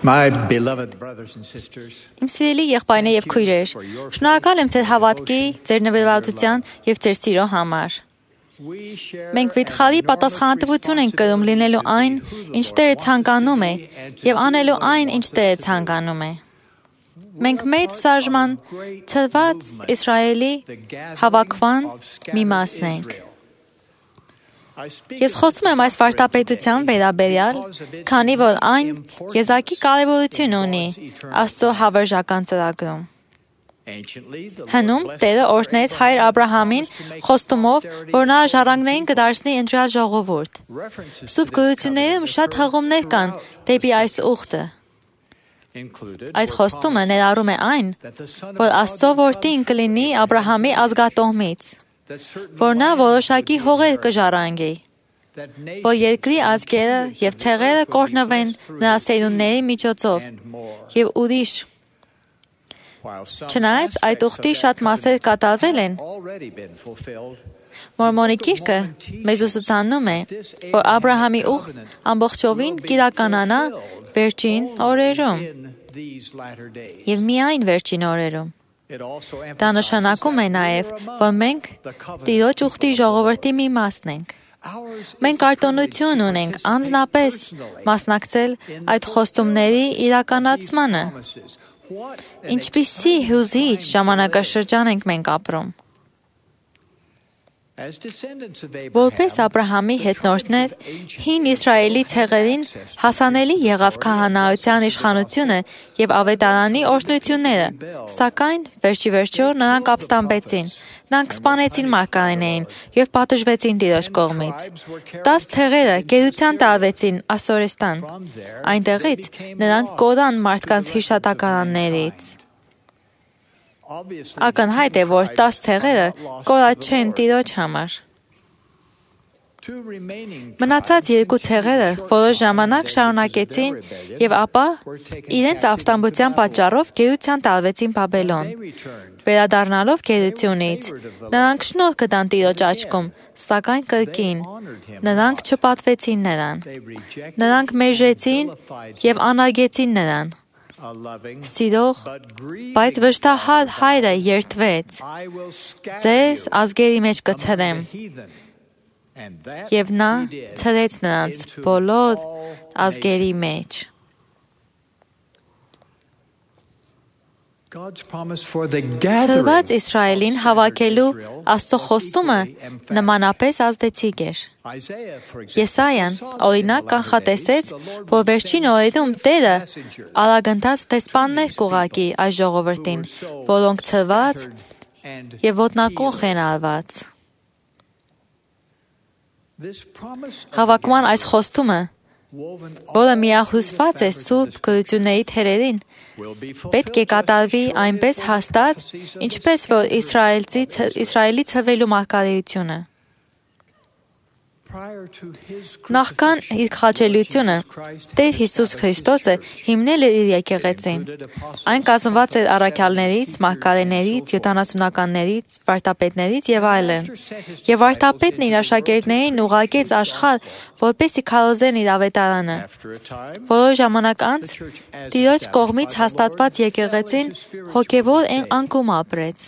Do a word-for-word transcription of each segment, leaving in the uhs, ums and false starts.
Իմ սիրելի եղբայրներ եւ քույրեր, շնորհակալ եմ ձեր հավատքի, ձեր նվիրվածության եւ ձեր սիրո համար։ Մենք վիթխարի պատասխանատվություն ենք կրում լինելու այն, ինչ Տերը ցանկանում է, եւ անելու այն, ինչ Տերը ցանկանում է։ Մենք մեծ շարժման թվված Իսրայելի հավաքման մի մասն ենք։ Ես խոսում եմ այս վարդապետության վերաբերյալ, քանի որ այն եզակի կարևորություն ունի Աստծո հավերժական ծրագրում։ Հնում Տերը օրհնեց հայր Աբրահամին խոստումով, որ նա ժառանգներին կդարձնի ընտրյալ ժողովուրդ։ Սուրբ գրություններում շատ հղումներ կան դեպի այս ուխտը։ Այդ խոստումը ներառում է այն, որ Աստծո որդին կլինի Աբրահամի ազգատոհմից, որ նա որոշակի հողեր կժառանգի, որ երկրի ազգերը և ցեղերը կօրհնվեն նրա սերունդների միջոցով և ուրիշ։ Չնայած այդ ուխտի շատ մասեր կատարվել են, Մորմոնի գիրքը մեզ ուսուցանում է, որ Աբրահամի ուխտ ամբողջովին կիրականանա վերջին օրերում և միայն վերջին օրերում։ Դա նշանակում է նաև, որ մենք Տիրոջ ուխտի ժողովրդի մի մասն ենք։ Մենք արտոնություն ունենք անձնապես մասնակցել այդ խոստումների իրականացմանը։ Ինչպիսի հուզիչ ժամանակաշրջան ենք մենք ապրում։ Որպես Աբրահամի հետնորդներ, հին Իսրայելի ցեղերին հասանելի եղավ քահանայության իշխանությունը և ավետարանի օրհնությունները, սակայն վերջիվերջո նրանք ապստամբեցին, նրանք սպանեցին մարգարեներին և պատժվեցին Տիրոջ կողմից։ Տաս ցեղերը գերության տարվեցին Ասորեստան, այնտեղից նրանք կորան մարդկանց հիշատակարաններից։ Ակնհայտ է, որ տաս ցեղերը կորած չեն Տիրոջ համար։ Մնացած երկու ցեղերը որոշ ժամանակ շարունակեցին և ապա իրենց ապստամբության պատճառով գերության տարվեցին Բաբելոն։ Վերադառնալով գերությունից, նրանք շնորհ գտան Տիրոջ աչքում, սակայն կրկին, նրանք չպատվեցին նրան։ Նրանք մերժեցին և անարգեցին նրան։ Սիրող, բայց վշտահար հայրը երդվեց. «Ձեզ ազգերի մեջ կցրեմ», և նա ցրեց նրանց բոլոր ազգերի մեջ։ Ցրված Իսրայելին հավաքելու Աստծո խոստումը նմանապես ազդեցիկ էր։ Եսայան, օրինակ, կանխատեսեց, որ վերջին օրերում Տերը արագընթաց դեսպաններ կուղարկի այս ժողովրդին, որոնք ցրված և ոտնակոխ են արված։ Հավաքման այս խոստումը, որը միահյուսված է սուրբ գրությունների թերերին, պետք է կատարվի այնպես հաստատ, ինչպես որ Իսրայելի ցրվելու մարգարեությունը։ Նախքան իր խաչելիությունը, Տեր Հիսուս Քրիստոսը հիմնել էր իր եկեղեցին։ Այն կազմված էր առաքյալներից, մարգարեներից, յոթանասունականներից, վարդապետներից և այլն։ Եվ վարդապետն իր աշակերտներին ուղարկեց աշխարհ, որպեսզի քարոզեն իր ավետարանը։ Որոշ ժամանակ անց Տիրոջ կողմից հաստատված եկեղեցին հոգևոր անկում ապրեց։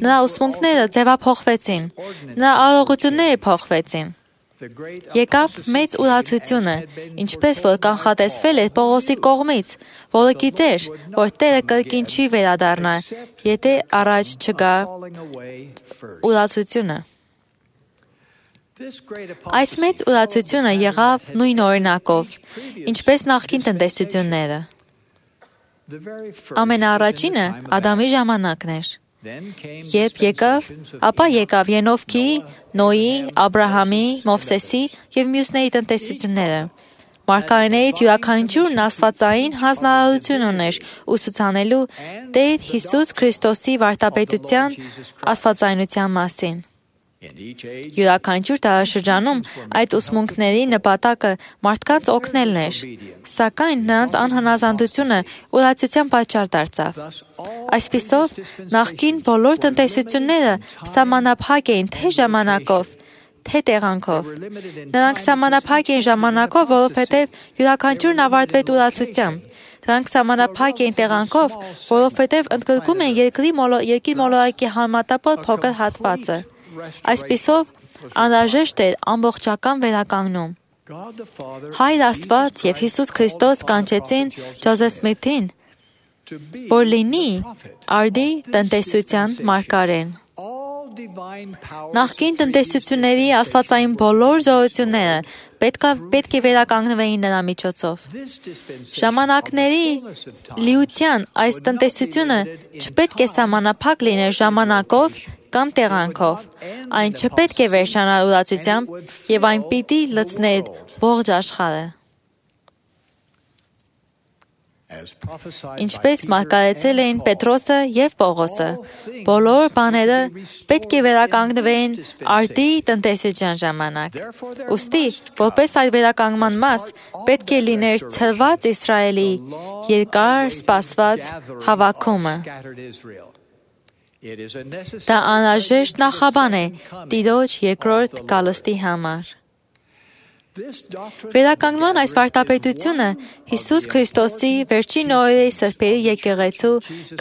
Նրա ուսմունքները ձևափոխվեցին, նրա արարողությունները փոխվեցին։ Եկավ մեծ ուրացությունը, ինչպես որ կանխատեսվել էր Պողոսի կողմից, որը գիտեր, որ Տերը կրկին չի վերադառնա, եթե առաջ չգա ուրացությունը։ Այս մեծ ուրացությունը եղավ նույն օրինակով, ինչպես նախկին տնտեսությունները։ Ամենաառաջինը Ադամի ժամանակն էր։ Երբ եկավ, ապա եկավ Ենովքի, Նոյի, Աբրահամի, Մովսեսի և մյուսների տնտեսությունները։ Մարգարեներից յուրաքանչյուրն աստվածային հանձնարարություն ուներ ուսուցանելու Տեր Հիսուս Քրիստոսի վարդապետության աստվածայնության մասին։ Յուրաքանչյուր դարաշրջանում այդ ուսմունքների նպատակը մարդկանց օգնելն էր, սակայն նրանց անհնազանդությունը ուրացության պատճառ դարձավ։ Այսպիսով, նախկին բոլոր տնտեսությունները սահմանափակ էին թե ժամանակով, թե տեղանքով։ Նրանք սահմանափակ էին ժամանակով, որովհետև յուրաքանչյուրն ավարտվեց ուրացությամբ։ Դրանք սահմանափակ էին տեղանքով, որովհետև ընդգրկում են երկրի երկիր մոլորակի համատապոր փոքր հատվածը։ Այսպիսով, անհրաժեշտ էր ամբողջական վերականգնում։ Հայր Աստված եւ Հիսուս Քրիստոս կանչեցին Ջոզեֆ Սմիթին, որ լինի արդի տնտեսության մարգարեն։ Նախկին տնտեսությունների աստվածային բոլոր զորությունները պետք, պետք է վերականգնվեին նրա միջոցով։ Ժամանակների լիության այս տնտեսությունը չպետք է սահմանափակ լիներ ժամանակով կամ տեղանքով։ Այն չպետք է վերջանալ ուրացությամբ եւ այն պիտի լցներ ողջ աշխարհը։ Ինչպես մարգարեցել էին Պետրոսը եւ Պողոսը, բոլոր բաները պետք է վերականգնվեն արդի տնտեսության ժամանակ։ Ուստի, որպես այդ վերականգնման մաս, պետք է լիներ ցրված Իսրայելի երկար սպասված հավաքումը։ Դա անհրաժեշտ նախաբան է Տիրոջ երկրորդ գալստի համար։ Վերականգնման այս վարդապետությունը Հիսուս Քրիստոսի վերջին օրերի սրբերի եկեղեցու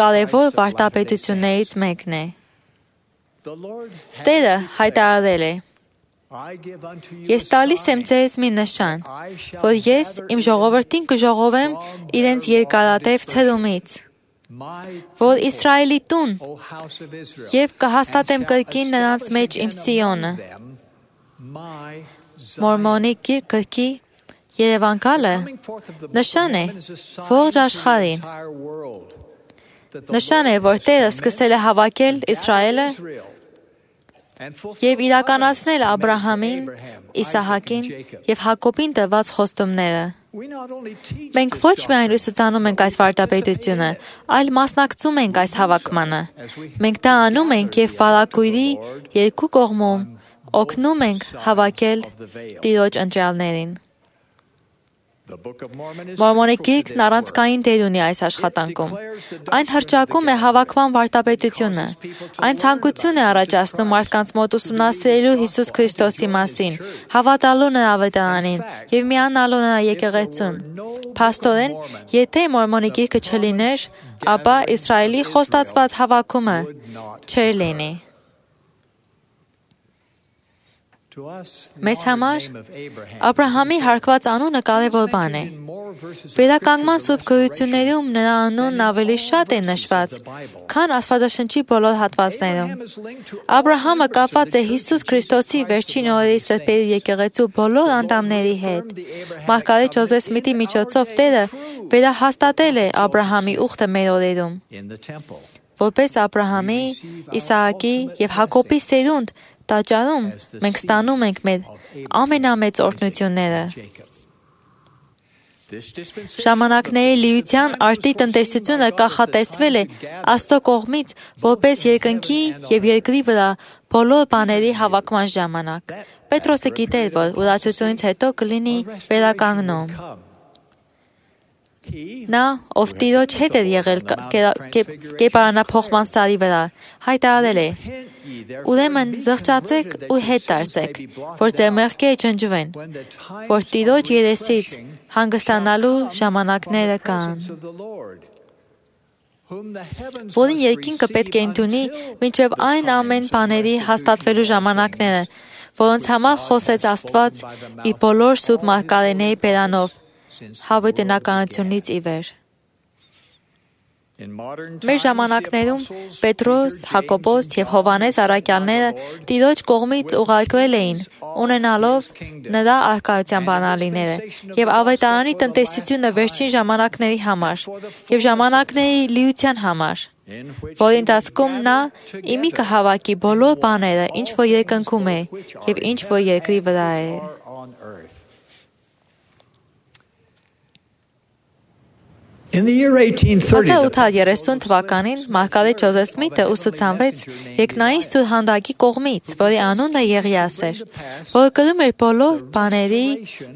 կարևոր վարդապետություններից մեկն է։ Տերը հայտարարել է. Ես տալիս եմ ձեզ մի նշան, որ ես իմ ժողովրդին կժողովեմ իրենց երկարատև ցրումից, որ Իսրայելի տուն եւ կհաստատեմ կրկին նրանց մեջ իմ Սիոնը։ Մորմոնի գրքի երևանքալը նշան է ողջ աշխարհին։ Նշան է, որ Տերը սկսել է հավաքել Իսրայելը եւ իրականացնել Աբրահամին, Իսահակին եւ Հակոբին տրված խոստումները։ Մենք ոչ միայն ուսուցանում ենք այս վարդապետությունը, այլ մասնակցում ենք այս հավաքմանը։ Մենք դա անում ենք եւ վարագույրի երկու կողմում օգնում ենք հավաքել Տիրոջ ընտրյալներին։ Մորմոնի գիրքն առանցքային դեր ունի այս աշխատանքում։ Այն հռչակում է հավաքման վարդապետությունը։ Այն ցանկություն է առաջացնում մարդկանց մոտ ուսումնասիրելու Հիսուս Քրիստոսի մասին, հավատալու նրա վետարանին եւ միանալու նրա եկեղեցուն։ Փաստորեն, եթե Մորմոնի գիրքը չլիներ, ապա Իսրայելի խոստացված հավաքումը չէր լինի։ Մեզ համար Աբրահամի հարկված անունը կարևոր բան է։ Վերականգնման սուրբ գրություններում նրա անունն ավելի շատ է նշված, քան Աստվածաշնչի բոլոր հատվածներում։ Աբրահամը կապված է Հիսուս Քրիստոսի վերջին օրերի սրբերի եկեղեցու բոլոր անդամների հետ։ Մարգարետ Ջոզեֆ Սմիթի միջոցով Տերը վերահաստատել է Աբրահամի ուխտը մեր օրերում։ Որպես Աբրահամի, Իսահակի եւ Հակոբի սերունդ տաճարում մենք ստանում ենք մեր ամենամեծ օրհնությունները։ Ժամանակների լիության արդի տնտեսությունը կանխատեսվել է Աստծո կողմից որպես երկնքի եւ երկրի վրա բոլոր բաների հավաքման ժամանակ։ Պետրոսը գիտեր, որ ուրացությունից հետո կլինի վերականգնում։ Նա, ով Տիրոջ հետ էր եղել կերպարանափոխման սարի վրա, հայտարարել է. Ուրեմն զղջացեք ու հետ դարձեք, որ ձեր մեղքերը ջնջվեն, որ Տիրոջ երեսից հանգստանալու ժամանակները կան։ Որին երկինքը պետք է ընդունի մինչև այն ամեն բաների հաստատվելու ժամանակները, որոնց համար խոսեց Աստված իր բոլոր սուրբ մարգարեների բերանով, հավիտենականությունից ի վեր։ Մեր ժամանակներում Պետրոս, Հակոբոս եւ Հովհաննես առաքյալները Տիրոջ կողմից ուղարկվել էին, ունենալով նրա առկայության բանալիները եւ ավետարանի տնտեսությունը վերջին ժամանակների համար եւ ժամանակների լիության համար, որի ընթացքում նա իմի կհավաքի բոլոր բաները, ինչ որ երկնքում է եւ ինչ որ երկրի վրա է։ հազար ութ հարյուր երեսուն թվականին մարգարետ Ջոզեֆ Սմիթը ուսուցանվեց երկնային սուրհանդակի կողմից, որի անունը Եղիաս էր, որը կրում էր բոլոր բաների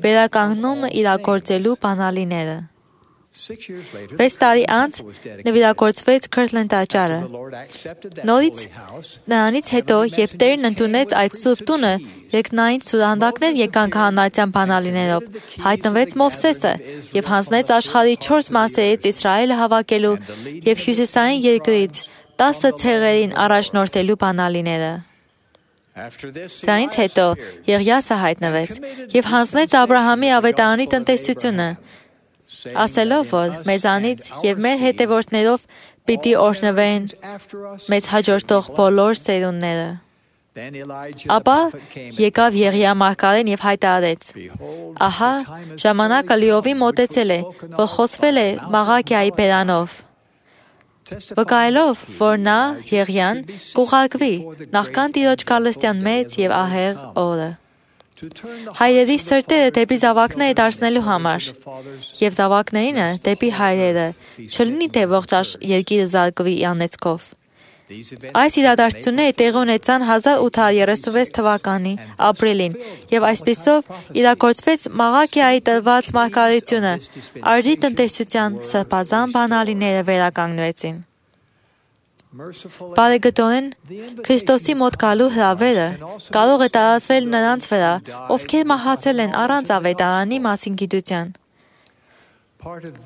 վերականգնումը իրագործելու բանալիները։ Վեց տարի անց նվիրագործվեց Քըրթլենդ տաճարը։ Նորից նրանից հետո, երբ Տերն ընդունեց այդ սուրբ տունը, երկնային սուրհանդակներ եկան քահանայության բանալիներով, հայտնվեց Մովսեսը եւ հանձնեց աշխարհի չորս մասերից Իսրայելը հավաքելու եւ հյուսիսային երկրից տասը ցեղերին առաջնորդելու բանալիները։ Դրանից հետո Եղիասը հայտնվեց եւ հանձնեց Աբ รา համի ավետարանի տնտեսությունը, ասելով, որ մեզանից եւ մեր հետևորդներով պիտի օրհնվեն մեզ հաջորդող բոլոր սերունդները։ Ապա եկավ Եղիա մարգարեն եւ հայտարարեց. Ահա ժամանակը լիովին մոտեցել է, որ խոսվել է Մաղաքիայի բերանով, վկայելով, որ նա Եղիան կուղարկվի նախքան Տիրոջ գալստյան մեծ եւ ահեղ օրը։ Հայրերի սրտերը դեպի զավակները դարձնելու համար եւ զավակներինը դեպի հայրերը, չլինի թե ողջ երկիրը զարգվի անեծքով։ Այս իրադարձությունները տեղի ունեցան հազար ութ հարյուր երեսունվեց թվականի ապրիլին եւ այսպիսով իրագործվեց Մաղաքիայի տրված մարգարեությունը, արդի տնտեսության սրբազան բանալիները վերականգնվեցին։ Բարեգտորեն Քրիստոսի մոտ գալու հրավերը կարող է տարածվել նրանց վրա, ովքեր մահացել են առանց ավետարանի մասին գիտության։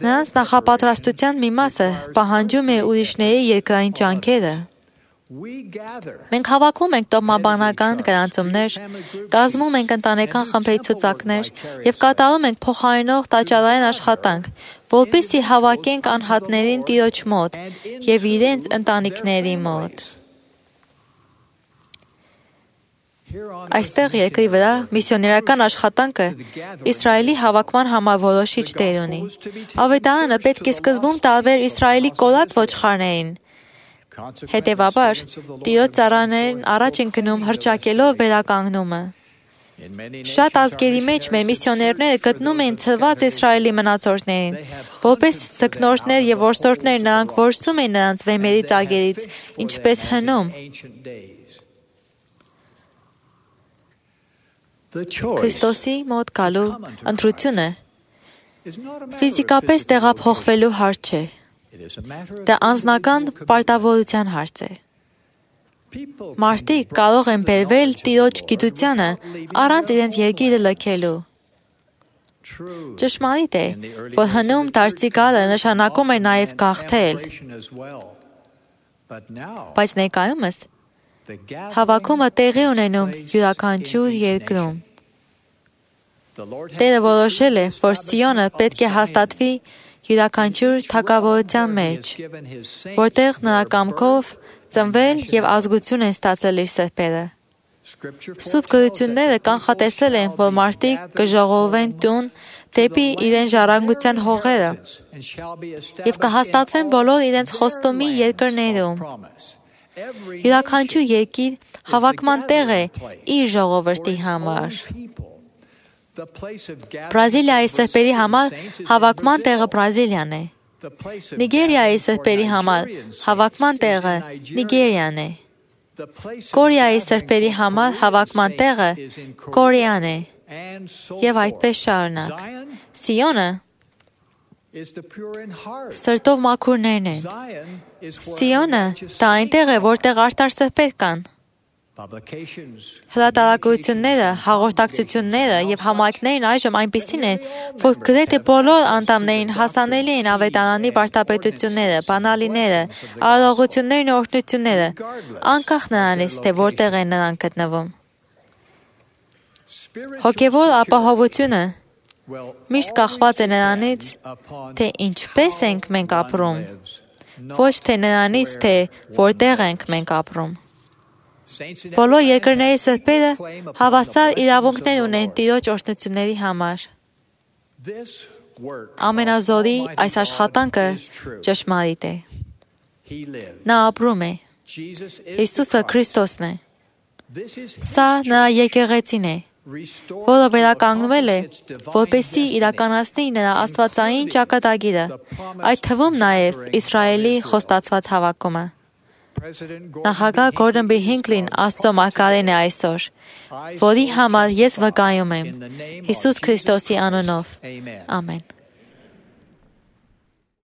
Նրանց նախապատրաստության մի մասը պահանջում է ուրիշների երկրային ջանքերը։ Մենք հավաքում ենք տոհմաբանական գրանցումներ, կազմում ենք ընտանեկան խմբերի ցուցակներ եւ կատարում ենք փոխարինող տաճարային աշխատանք, որպեսզի հավաքենք անհատներին Տիրոջ մոտ եւ իրենց ընտանիքների մոտ։ Այստեղ երկրի վրա միսիոներական աշխատանքը Իսրայելի հավաքման համար որոշիչ դեր ունի։ Ավետարանը պետք է սկզբում տարվեր Իսրայելի կորած ոչխարներին։ Հետևաբար, Տիրոջ ծառաներն առաջ են գնում հռչակելով վերականգնումը։ Շատ ազգերի մեջ մեր միսիոներները գտնում են ցրված Իսրայելի մնացորդներին, որպես ձկնորսներ եւ որսորդներ նրանք որսում են նրանց վեմերի ծագերից, ինչպես հնում։ Քրիստոսի մոտ գալու ընտրությունը ֆիզիկապես տեղափոխվելու հարց չէ։ Դա անձնական պարտավորության հարց է։ Մարդիկ կարող են բերվել Տիրոջ գիտությանը առանց իրենց երկիրը լքելու։ Ճշմարիտ է, որ հնում դարձի գալը նշանակում է նաև գաղթել։ Բայց ներկայումս հավաքումը տեղի ունենում յուրաքանչյուր երկրում։ Տերը որոշել է, որ Սիոնը պետք է հաստատվի յուրաքանչյուր թագավորության մեջ, որտեղ նրա կամքով ծնվել եւ ազգություն են ստացել իր սրբերը։ Սուրբ գրությունները կանխատեսել են, որ մարդիկ կժողովեն տուն դեպի իրեն ժառանգության հողերը եւ կհաստատվեն բոլոր իրենց խոստումի երկրներում։ Յուրաքանչյուր երկիր հավաքման տեղ է իր ժողովրդի համար։ Բրազիլիայի սրբերի համար հավաքման տեղը Բրազիլիան է։ Նիգերիայի սրբերի համար հավաքման տեղը Նիգերիան է։ Կորեայի սրբերի համար հավաքման տեղը Կորեան է։ Եվ այդպես շարունակ։ Սիոնը սրտով մաքուրներն են։ Սիոնը դա այնտեղ է, որտեղ արդար սրբեր կան։ Հրատարակությունները, հաղորդակցությունները եւ համայնքներն այժմ այնպիսին են, որ գրեթե բոլոր անդամներին հասանելի են ավետարանի վարդապետությունները, բանալիները, արարողություններն ու օրհնությունները, անկախ նրանից, թե որտեղ են նրանք գտնվում։ Հոգևոր ապահովությունը միշտ կախված է նրանից, թե ինչպես ենք մենք ապրում, ոչ թե նրանից, թե որտեղ ենք մենք ապրում։ Բոլոր երկրների սրբերը հավասար իրավունքներ ունեն Տիրոջ օրհնությունների համար։ Ամենազորի այս աշխատանքը ճշմարիտ է։ Նա ապրում է։ Հիսուսը Քրիստոսն է։ Սա նրա եկեղեցին է, որը վերականգնվել է, որպեսզի իրականացնի նրա աստվածային ճակատագիրը, այդ թվում նաև Իսրայելի խոստացված հավաքումը։ Նախագահ Գորդոն B. Հինքլին Աստծո մարգարեն է այսօր, որի համար ես վկայում եմ Հիսուս Քրիստոսի անունով։ Ամեն։